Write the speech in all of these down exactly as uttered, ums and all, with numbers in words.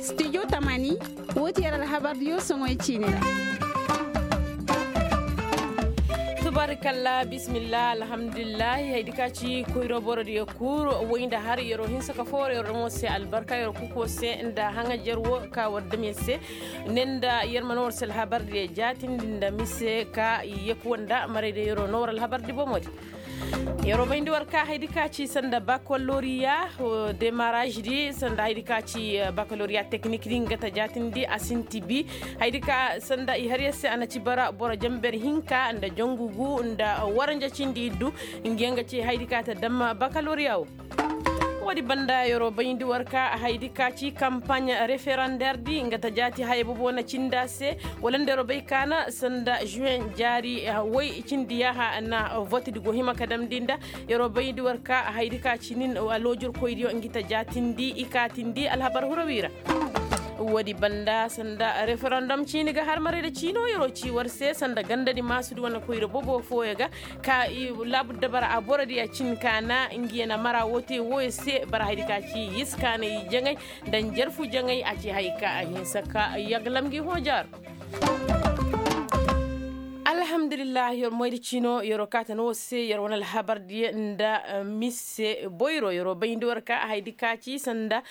Stijo tamani, woo ti yer alhabardiyo soŋoy ciini ra. Tubaarikalla, bismillah, alhamdulillahi. Haydi ka ci koyro borodiyo kul, woy nda har yeroo hinsa ka fooro yeroo daŋo se albarka yeroo kuko se nda haŋajer woo ka war dam yer se. Ne nda yer ma noo war se alhabardiyo jaatindi nda mise ka yekuwa nda marayda yeroo noo war alhabardi bomodi. Yeroo bayndi war ka haydi ka ci sanda bakaloriya, demaraaždi sanda haydi ka ci bakaloriya teknikdi nga ta jaatindi a sinti bi. Haydi ka sanda i har yer se a na ci bara boro jamber hinka nda jangu gu nda waranja cindi iddu. Nga yaŋ ga ci haydi ka ta dam bakaloriya woo. Woodi banda yeroo bayndi war ka haydi ka ci kampaaɲ referanderdi nga ta jaati haya bobo na cindi a se. Wala nda yeroo bay kaana sanda žuwen jaari woy cindi yaaha na votedi go hima ka damndi nda. Yeroo bayndi war ka haydi ka ci nin aloojirkoydiyo ngi ta jaatindi i kaatindi alhabar hurawi ra. Woodi banda sanda referandom ciini ga har marayda ciino yeroo ci war se sanda gandadi maasudi wane koyra bobo fooyo ga ka i laabudda bara a borodiya cin kaana ngi ya na mara woo te wooyo se bara haydi ka ci yiskaanay jaŋay nda njarfu jaŋay a ci hay ka a hinsa ka yaglam ngi hoojaaro. Alhamdulillahi yer moydi ciino yeroo kaata no woo se yer wane alhabardiyo nda mise boyro yeroo bayndi war ka haydi ka ci sanda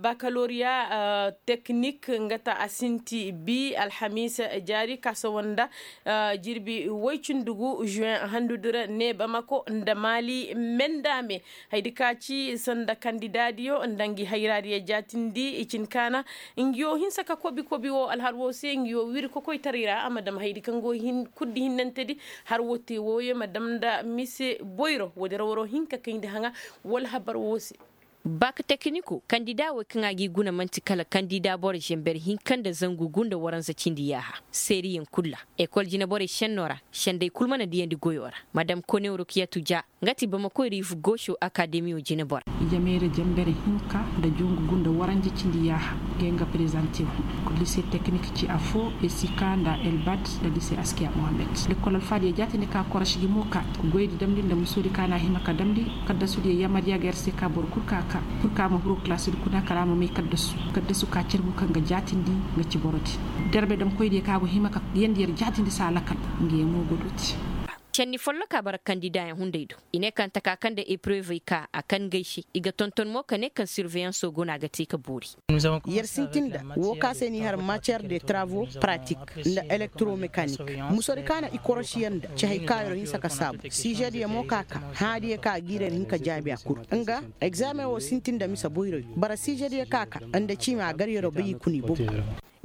bakaloriya teknik nga ta a sinti bi alhamiisa jaari ka sawa nda jirbi woy cindi gu žuwen handudi ra ne bamako nda maali mendame. Haydi ka ci sanda kandidaadiyo nda ngi hayraadiyo jaatindi i cin kaana ngi yoo hinsa ka kobi kobi woo alhar woo se ngi yoo wiri kokoytaray ra a ma dam haydi kaŋ go kuddi hinnantedi. Har woo te wooyo ma dam nda mise boyro woodi ra waroo hin ka kayndi haŋa wala habar woo se. Bak tekniko kandida wey kaŋ a g'i guna man'ti kala kandida boro žember hinka nda zangu gu nda waranza cindi yaaha seeriyaŋ kul ra. Ekol jineborey šennoo ra sendey kul mana diyandi goyoo ra. Madam konew rukiyatu ja nga ti bamakoy riifu gooso akademiyo jinebora. Jameera jember hinka nda jongu gu nda waranja cindi yaaha ngey nga prezantew. Lise teknik ci afoo esika nda elbat nda lise askiya mohammed. Lekkol alfaadiyo jaatindi ka koroš gi mo ka goydi damndi nda musoodi ka na hima ka damndi kaddasudiyo yamariya ga yer se ka boro kul ka ka pur ka ma huru kilasudi kuna kala a ma may kaddasu. Kaddasu ka carbu kaŋ ga jaatindi nga ci borodi. Derbe damkoydiyo ka go hima ka yandi yer jaatindi saa lakal ngey mo go dooti. Cenni folloka bara kandidaayaŋ hunday do i ne kaŋ taka kaŋ nda eprevey ka a kan gay se i ga tonton mo ka ne kaŋ sirveyanso go no a ga te ka boori. Yer sintin nda woo ka se ni har matiyer de travo pratik nda elektromekanik. Musodi ka na i korosi yer nda ci hay ka yer hinsa ka saabu siizediyo mo ka ka hãadiyo ka a giira yer hin ka jaabi a kul. Nga egzaameŋ woo sintin nda mise boyroyo bara siizediyo ka ka nda ciima a gar yeroo bay i kuna i bobo.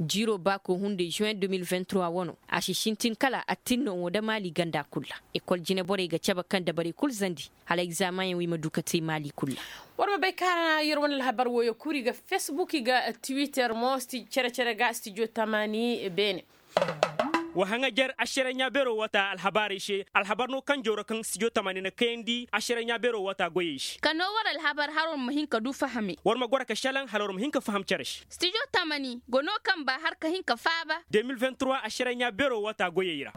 Jiiroo baakoo hunday juwen de mil vingt trois wanoo a si sintin kala attinno nda maali ganda kul ra. Ekol jineborey ga cabe kaŋ dabarey kul zandi hala egzaameŋyaŋ wo i ma du ka te maali kul ra. War ma bay kaŋ a na yer wane alhabar wooyo kul i ga fesbuk i ga tiwiter mo cere-cere ga stijo tamaani beene. Wa haŋajer ašareɲa beeroo wata alhabaarey se alhabar no kaŋ jawra kaŋ stijo tamaani na kayandi ašareɲa beeroo wata goyey se. Ka noo war alhabar hala war ma hin ka du fahame. War ma goro ka šelaŋ hala war ma hin ka faham cere se. Stijo tamani go no kaŋ ba har ka hin ka faaba. De mil vingt trois ašareɲa beeroo wata goyey ra.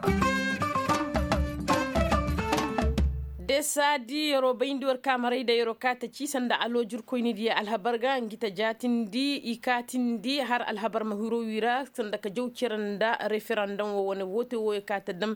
Desaadi yeroo bayndi war kaamaray nda yeroo kaata ci sanda aloojirkoynidiyo alhabar ga ngi ta jaatindi i kaatindi har alhabar ma hiro wi ra sanda ka jaw cere nda referandom wo wane woote wooyo kaata dam.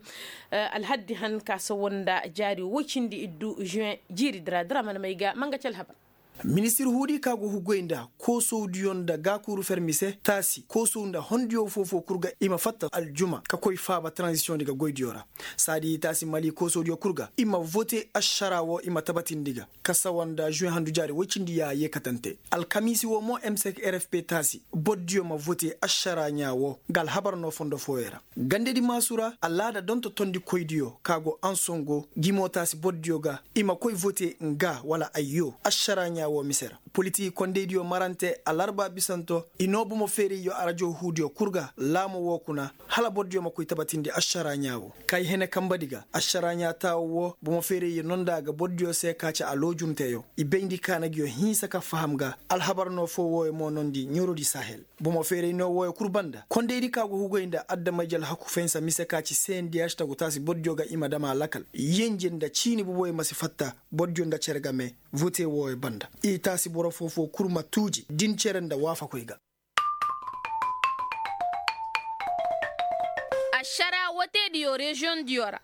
Alhaddi han ka sawa nda jaari woy cindi iddu juwen jiiridi ra da ra mana may ga ma nga ci alhabar. Ministir huudi ka go hugoy nda koosowdiyo nda gaakuuru fermi se taasi koosow nda hondiyo foo-foo kul ga i ma fatta aljuma ka koy faaba taranzisiyoŋ di ga goydiyo ra. Saadi taasi mali koosowdiyo kul ga i ma vote ašaraa woo i ma tabatindi ga ka sawa nda žuwe handu jaari woy cindi yaaha yeekatante alkamiisi woo mo m cinq r f p taasi bordiyo ma vote ašaraa ɲaa woo nga alhabar noo fondo fooyo ra. Gandedi maasu ra alaada donto tondikoydiyo ka go ansongo gimo taasi bordiyo ga i ma koy vote nga wala ayyo ašaraa ɲaa woo mise ra. Politiki kondeydiyo marante alarba bisanto i noo bomo feerayyo arajo huudiyo kul ga laamo woo kuna hala bordiyo ma koy tabatindi ašaraa ɲaa woo kay hene kambadi ga ašaraa ɲaa taawo woo bomo feerayyo nonda ga bordiyo se ka ci aloojunteyo i bayndi kaana ngiyo hinsa ka faham ga. Alhabar noo foo wooyo mo nondi ɲorodi sahel. Bomo feeray noo wooyo kul banda kondaydi ka go hugoy nda adama-ije alhaku fahinsa mise ka ci sendiyaš tagu taasi bordiyo ga i ma dam a lakal yenje nda ciini boboyo ma si fatta bordiyo nda cere game. Vote wooyo banda i taasi boro foo-foo kul ma tuuji din cere nda waafakoy ga. Ašara wootediyo reziyoŋ diyo ra.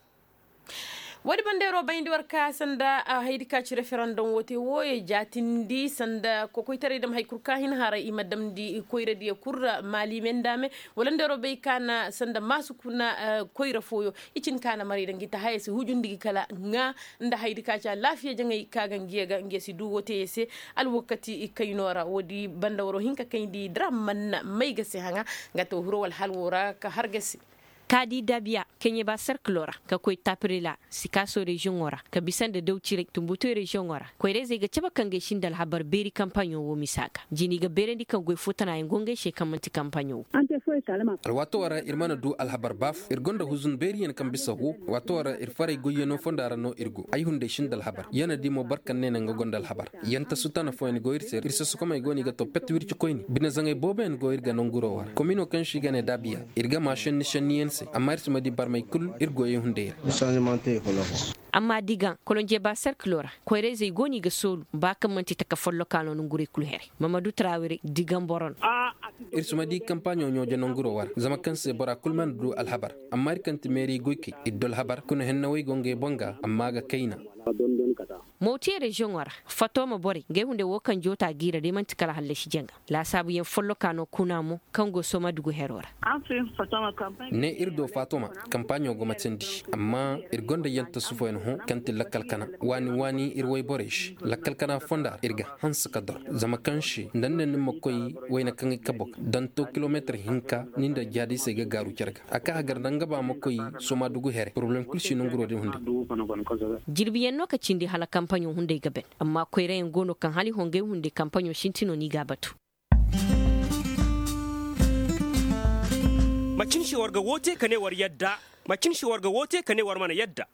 Woodi bandeeroo bayndi war ka sanda hayadi ka ci referandom woote wooyo jaatindi sanda kokoytaray dam hari kul ka hin haray i ma damndi koyradiyo kul ra maali me nda me. Wala ndeeroo bay ka na sanda maasu kuna koyra fooyo i cin ka na maray da ngi ta haya si hujundi gi kala ŋaa nda hayadi ka ci alaafiya jaŋay ka ga ngiyo ga ngiyo si du wooteyo se. Alwakati kaynoo ra woodi banda waroo hin ka kayndi dara man na may ga se haŋa nga ta woo hiro wala hal woo ra ka har ga se. Ka di dabiya keɲe ba serkiloo ra ka koy tapirila sikaaso reziyoŋoo ra ka bisa nda daw ciray tumbutoy reziyoŋoo ra koyra-izey ga cabe ka ngey si nda alhabar beeri kampaaɲo woo misa ga jini ga beerandi kaŋ goy foo tana yaŋ go ngey se kaŋ man'ti kampaaɲo woo. Alwaatoo ra ir mana du alhabar baaf ir gonda huzun beeriyaŋ kaŋ bisa woo. Waatoo ra ir faray goyyanoo fonda ra no ir go ay hunday si nda alhabar ya na di mo boro kaŋ ne naŋ ga gonda alhabar. Yanta sutana fooyaŋ go ir se ir sasakomey go no i ga to pet wirci koyne bine zaŋay booboyaŋ go ir ga nanguroo wara kominoo kaŋ se i ga ne daabiya. Ir ga maa šenni šenniyaŋ se amma ir si ma di barmey kul ir goyey hunday ra. Amma digaŋ kolonjeba serkiloo ra koyra-izey go no i ga soolu ba kaŋ man'ti taka follokaa no nangurey kul heray mamadu taraawirey digaŋ boro no. Ir si ma di kampaaɲo ɲooje nanguroo wara zama kaŋ se bora kul mana du alhabar. Amma ir kaŋ ti meeri goykey ir du alhabar kuna hennawey go ngey boŋ ga amma a ga kayna. Mawtiye reziyoŋo ra fatoma borey ngey hunday woo kaŋ joota g'i ra day man'ti kala hallasi jaŋa laasaabuyaŋ folloka no kuna mo kaŋ go soomadugu heroo ra. Ne ir do fatoma kampaaɲo go matandi amma ir gonda yantasufoyaŋ hõ kaŋ ti lakkal kana waani waani ir wayborey se lakkal kana fonda ra ir ga hanse ka dor zama kaŋ se nda ni ne ni ma koy wayne kaŋ i kabo ga danto kilometir hinka ni nda jaadisey ga gaaru care ga a ka hagar nda nga ba ma koy soomadugu here poroblem kul si nanguroo din hunday. Jirbiyaŋ no ka cindi hala kampaɲo hunday ga ban amma koyrayaŋ go no kaŋ hala i hongay hunday kampaɲo sintinoo no i g'a batu. Macin se war ga woote ka ne war yadda. Macin se war ga woote ka ne war mana yadda.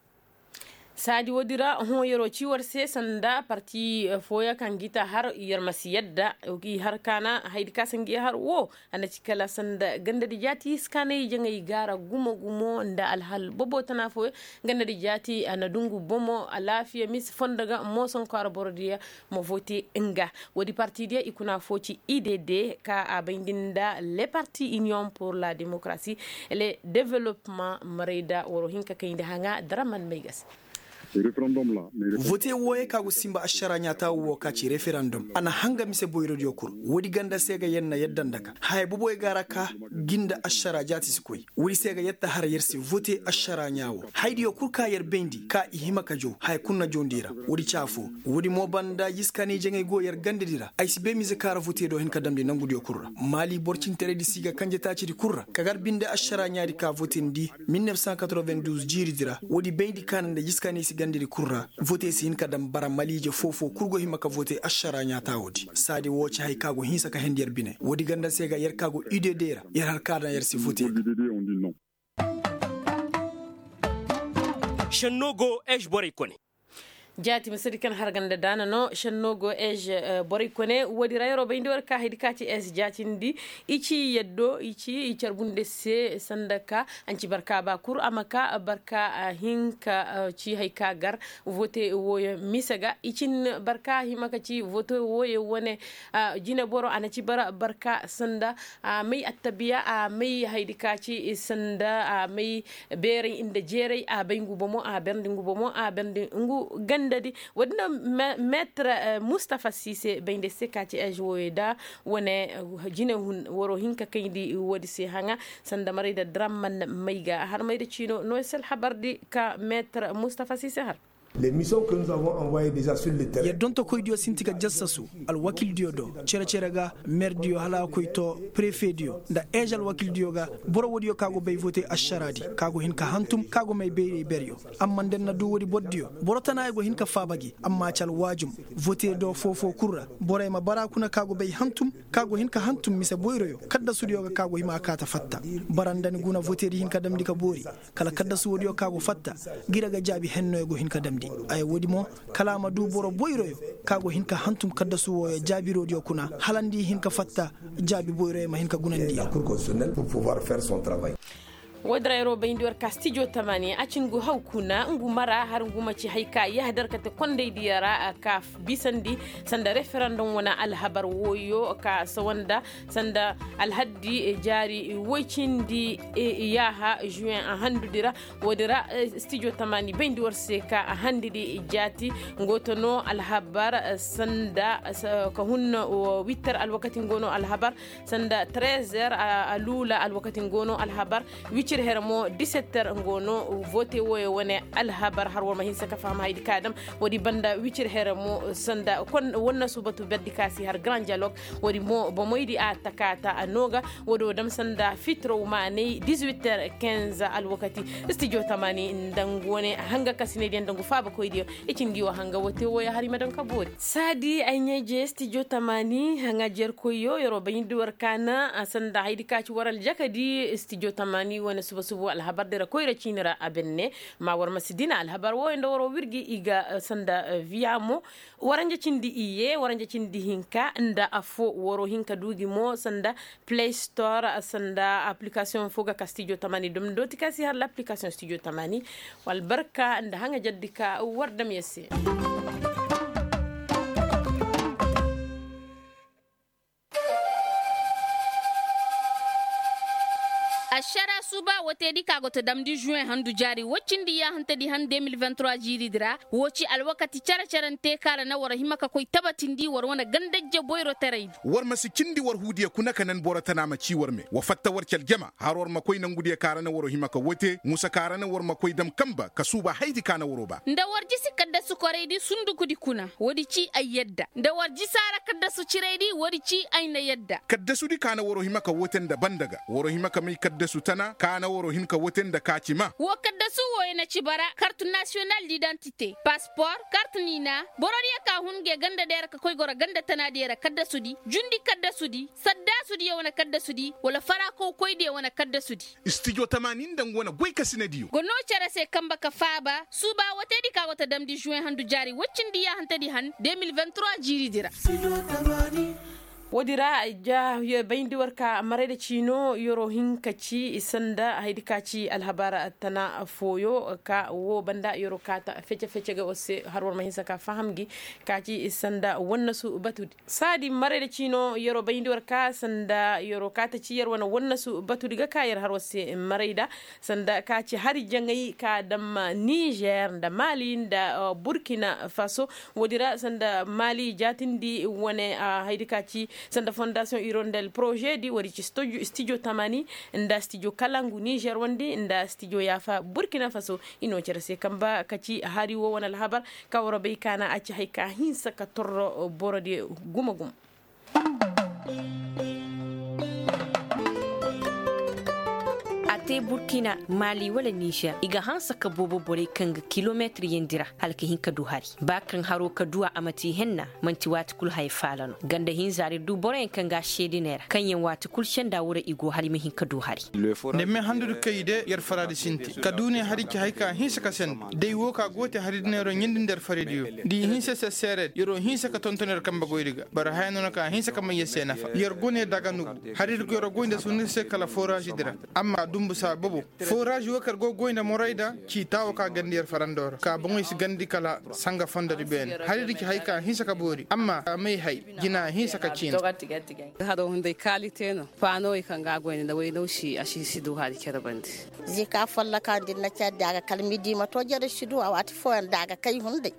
Saadi woodi ra hõ yeroo ci war se sanda parti fooyaŋ kaŋ g'i ta har yer ma si yadda. I har kaana hayadi ka se ngi har woo a na ci kala sanda gandadi jaati iskaanay jaŋay gaara gumo gumo nda alhal bobo tana fooyaŋ. Gandadi jaati a na dungu bomo alaafiya mise fondo ga mooson kwaara borodiyo ma vote nga woodi partidiyo i kuna foo ci idd ka a bayndi nda le parti union pour la démocratie le developement maray da waroo hin ka kayndi haŋa daraman may ga se. Vote wooyey ka go sinba ašaraa ɲaataawu woo ka ci referandom a na hanga mise boyrodiyo kul. Woodi ganda se ga yer na yadda nda ka haya boboyo ga ra ka gi nda ašaraa jaati si koy. Woodi se ga yer ta har yer si vote ašaraa ɲaa woo hayadiyo kul ka yer bayndi ka i hima ka jaw haya kul na jawndi ra. Woodi ci afoo woodi mo banda jiskaanay jaŋay go yer gandadi ra ay si bay mize ka ra vote do hin ka damndi nangudiyo kul ra. Maali boro cintaraydi si ga kanje taacidi kul ra ka gar binde ašaraa ɲaadi ka votindi mil nef san katorven duuz jiiridi ra woodi bayndi kaana nda jiskaanay si gandadi kul ra. Vote si hin ka dam bara maliije foo-foo kul go hima ka vote ašaraa ɲaataawoodi saadi woo ci haya ka go hinsa ka hendi yer bine woodi ganda se ga yer ka go idd ra yer har ka daŋ yer si vote. Šennoo go ež borey kone. Jaati misedi kaŋ har ganda daana no šennoo go ež borey kone woodi ra yeroo bayndi war ka hayadi ka ci ež jaatindi. I ci yaddo i ci i carbu nda se sanda ka a nci barka ba kul a ma ka barka hinka ci haya ka gar vote wooyo mise ga i cin barka hima ka ci vote wooyo wane. Jineboro a na ci bara barka sanda a may attabiya a may hayadi ka ci sanda a may beeray nda jeeray a bay ngu bomo a berndi ngu bomo a berndi ngu gandadi. Woodi no metre mustafa siise bay nda se ka ci ež wooyo da wane jine hun waroo hin ka kayndi woodi se haŋa sanda maray da dramman may ga a har may da ciino no se alhabardi ka metre mustafa siise har. Yer dontokoydiyo sinti ga jassasu alwakildiyo do cere-cere ga meerdiyo hala a koy to prefediyo nda eez alwakildiyo ga. Boro woodiyo ka go bay vote ašaraadi ka go hin ka hantum ka go may bayray beryo. Amma nda yer na du woodi bordiyo boro tanaayo go hin ka faaba gi amma ci alwaajum vote do foo-foo kul ra borey ma bara kuna ka go bay hantum ka go hin ka hantum mise boyroyo kaddasudiyo ga ka go hima a kaata fatta. Bara nda ni guna votedi hin ka damndi ka boori kala kaddasu woodiyo ka go fatta. Gira ga jaabi hennoyo go hin ka damndi aya woodi mo kala a ma du boro boyroyo ka go hin ka hantum kaddasu wooyo jaabiroodiyo kuna hala nda i hin ka fatta jaabi boyroyo ma hin ka gunandi. Woodin ra yeroo bayndi war ka stijo tamaani a ci ngu haw kuna ngu mara har ngu ma ci hay ka yahadar kate kondaydiyo ra ka bisandi sanda referandom wane alhabar wooyo ka sawanda sanda alhaddi jaari woy cindi yaaha juwen a handudi ra. Woodin ra stijo tamaani bayndi war se ka a handidi jaati. Ngo to no alhabar sanda ka hun witter alwakati ngo no alhabar sanda trezer a luula alwakati ngo no alhabar wicir here mo disetter ngo no vote wooyo wane alhabar har war ma hinsa ka faham haydi ka dam. Woodi banda wicir here mo sanda wannasu batu berdi ka si har grand dialogue. Woodi mo bomoydi a takaata a nooga woodi wo dam sanda fitrow maanay dizuiter kinze alwakati stijo tamaani nda ngu wane hanga kasinaydiyo nda ngu faabakoydiyo. I ci ngi wo hanga wo te wooyo har i ma daŋ ka boori saadi ay ɲaa-ije stijo tamaani haŋa jerkoyyo yeroo bayndi war kaana a sanda haydi ka ci war aljakadi stijo tamaani wane suba suba alhabar dira koyra ciini ra a benne. Ma war ma si dina alhabar wooyo nda waroo wirgi i ga sanda viya mo waranja cindi iyye waranja cindi hinka nda affoo waroo hin ka duu gi mo sanda play store sanda applikasiyoŋ foo ga ka stijo tamaani dom dooti ka si har l'applikasiyoŋ stijo tamaani. Wala barka nda haŋa jaddi ka war dam ya se. Ašara suuba woteedi ka go ta damndi juwen handu jaari woy cindi yaahantedi han deux mille vingt trois jiiridi ra. Woo ci alwakati care-carante ka ra na war hima ka koy tabatindi war wane gandajje boyroteraydi. War ma si cindi war huudiyo kuna ka nan boro tana ma ci war me wa fatta war ci aljama har war ma koy nangudiyo ka ra na waro hima ka wote musa ka ra na war ma koy dam kanba ka suuba haydi ka na waro ba. Nda war jisi kaddasu koraydi sundukudi kuna woodi ci ay yadda nda war jisaara kaddasu ciraydi woodi ci ay na yadda. Kaddasudi ka na waro hima ka wote nda banda ga waro hima ka may kaddasu tana ka na waro hin ka wote nda ka ci ma. Woo kaddasu wooyo na ci bara kart nasiyonal didantite paspor kart niina. Borodiyo ka hun nge ganda deera ka koy goro ganda tana deera kaddasudi jundi kaddasudi saddaasudiyo wane kaddasudi wala farakow koydiyo wane kaddasudi. Stijo tamaani nda ngu wane goy kasinadiyo go noo cere se kanba ka faaba suuba woteedi ka go ta damndi juwen handu jaari woy cindi yaahantedi han deux mille vingt trois jiiridi ra. Woodi ra ja bayndi war ka marayda ciino yeroo hin ka ci sanda haydi ka ci alhabar tana fooyo ka woo banda yeroo kaata fece-fece ga war se har war ma hinsa ka faham gi ka ci sanda wannasu batudi. Saadi marayda ciino yeroo bayndi war ka sanda yeroo kaata ci yer wane wannasu batudi ga ka yer har war se marayda sanda ka ci hari jaŋay ka dam nizer nda mali nda burkina faso. Woodi ra sanda mali jaatindi wane haydi ka ci sanda fondasiyoŋ irondel porozedi woodi ci stijo tamaani nda stijo kalangu nizer wandi nda stijo yaafa burkina faso. I noo cere se kanba ka ci hari woo wane alhabar ka war bay ka na a ci hay ka hinsa ka torro borodi gumo-gumo. A te burkina mali wala nizer i ga hanse ka boobo borey kaŋ ga kilometir yandi ra hala ka hin ka du hari. Ba kaŋ haro ka du a a ma te henna manti waati kulu haya faala no ganda hinza ra ir du boroyaŋ kaŋ ga a seediney ra kaŋ yaŋ waati kulu senda wura i go hari ma hin ka du hari. Nda me handudi kay de yer faradi sinti ka du ne hari ci hay ka hinse ka senda day wo ka go te hari diney ro ɲindi nda yer faradiyo da i hinse se seeredi yer wo hinse ka tonton yer kambe goydi ga bara haya no na ka hinse ka may yer se nafa yer go ne daga nugu hari di go yer goy nda sunni se kala forazi di ra. Amma dumbu saa bobo forazi wo kaŋ yer go goy nda morayda ci taawo ka gandi yer farando ra ka boŋey si gandi kala sanga fondo di beene hari di ci hay ka hinse ka boori amma a may hay jina hinse ka ciina. Haro hunday kaalite no paanowey kaŋ ga a goy nda nda waynaw si a si si du hari care bande. Zika folloka din na care da a ga kala midi ma to jere si du a waati fooyaŋ da a ga kay hunday.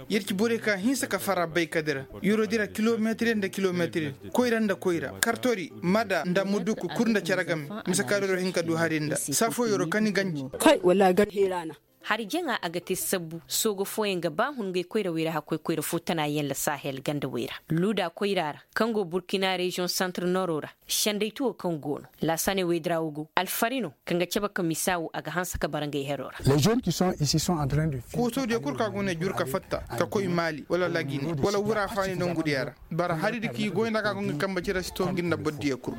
Yer ci borey ka hinse ka fara bay ka dira yero dira kilometir nda kilometir koyra nda koyra kartori mada nda muduku kul nda care game. Mise ka doro hin ka du hari nda saa foo yero kani ganji. Kay wallaahi gar heera na. Hari jaŋa a ga te sabbu soogo fooyaŋ ga ba hun ngey koyra wayra hakkoy koyra fo tana yaŋ la sahel ganda wayra luuda koyra ra kaŋ go burkina reziyoŋ santre noro ra. Sendaytuwo kaŋ go no laasane waydira wo go alfari no kaŋ ga cabe ka misa wo a ga hanse ka bara ngey hero ra. Koosodiyo kul ka go ne jur ka fatta ka koy maali wala lagine wala wura faani nongudiya ra. Bara hari di k'i goy nda ka go ngi kambe cire si to ngi nda bordiyo kul.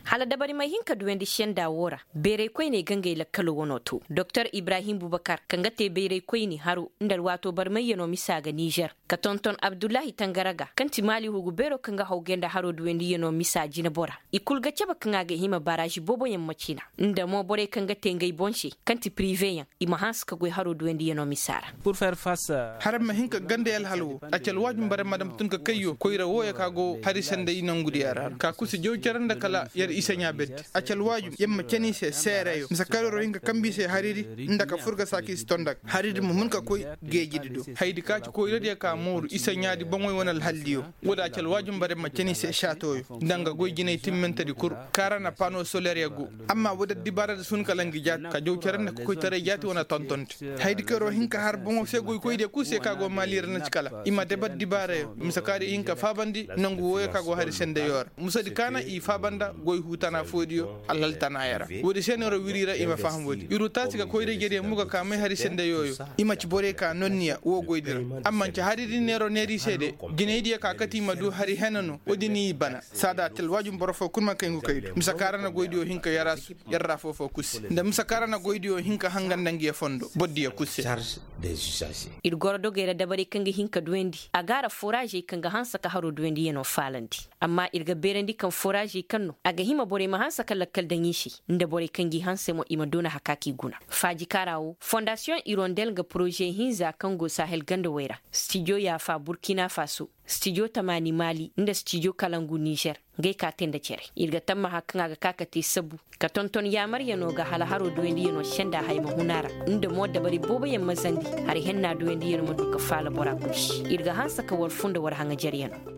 Hala dabari may hin ka duyandi senda woo ra, bayray koyney ga ngey lakkalo wano to. Doktor ibrahim bubakar kaŋ ga te bayray koyne haro nda alwaato barmayyanoo misa ga nizer, ka tonton abdullahi tangara ga kaŋ ti maali hugu beeroo kaŋ ga hawgay nda haroo duwandiyanoo misa jinebora. I kul ga cabe kaŋ a ga hima baraazi booboyaŋ ma cina, nda mo borey kaŋ ga te ngey boŋ se, kaŋ ti piriveyaŋ, i ma hanse ka goy haroo duwandiyanoo misa ra. Haraŋ ma hin ka ganda yalhal woo, a ci alwaajum barey ma dam tun ka kayyo koyra wooyo ka go hari senday nangudiyaŋ ra ka kusi jaw cere nda kala yer isaɲaa berdi. A ci alwaajum yer ma cani i se seereyo mise kaŋ yer wo hin ka kambe i se haridi, nda ka fur ga saaka i si ton nda ga haridi ma hun ka koy geejidi do. Hayadi ka ci koyradiyo ka mooru isaɲaadi boŋoy wane alhaldiyo. Woodi a ci alwaajum barey ma cani i se saatooyo, nda nga goy jinay timmentedi kul, kaŋ ra na pano soleryo go. Amma woodi addibaaradi si hun kala ngi jaati ka jaw cere nda ka koytaray jaati wane tontonte. Hayadi kaŋ yer wo hin ka har boŋo se goykoydiyo kul se kaŋ a go maali ra na ci kala i ma daba addibaarayo mise kaŋ ra i hin ka faabandi nangu wooyo kaŋ a go hari sendeyo ra. Musadi kaana i faaba nda goy huu tana foodiyo alhal tana ya ra. Woodi se neero wiri ra i ma faham woodi ir wo taasi ga koyra-ijediyo mo ga ka may hari sendeyo yo. I ma ci borey ka nonniya woo goydi ra. Amma nci hari din neero neeri se de, jinaydiyo ka kate i ma du hari hena no woodi ni i bana. Saada a ti alwaajum boro foo kul ma kay ngu kay du mise kaŋ ra na goydiyo hin ka yaraasu, yer ra foofoo kul se nda mise kaŋ ra na goydiyo hin ka hanga nda ngiyo fondo bordiyo kul se. Ir goro dogey ra dabarey kaŋ ga hin ka duwandi a ga a ra foraazey kaŋ ga hanse ka haroo duwandiyanoo faalandi. Amma ir ga beerandi kaŋ foraazey kaŋ no a ga hima borey ma hanse ka lakkal daŋ i se, nda borey kaŋ g'i hanse mo i ma doona hakaaki guna. Faaji kaara wo fondasiyoŋ irondel nga poroze hinza kaŋ go sahel gandawey ra, stijo yaafa burkina faso, stijo tamaani maali nda stijo kalangu nizer. Ngey ka te nda cere ir ga tammaha kaŋ a ga ka ka te sabu ka tonton yaamaryanoo ga hala haroo duwandiyanoo senda haya ma hun a ra, nda mo dabari booboyaŋ ma zandi hari henna duwandiyanoo ma du ka faala bora kul se. Ir ga hanse ka war funda war haŋajeryanoo.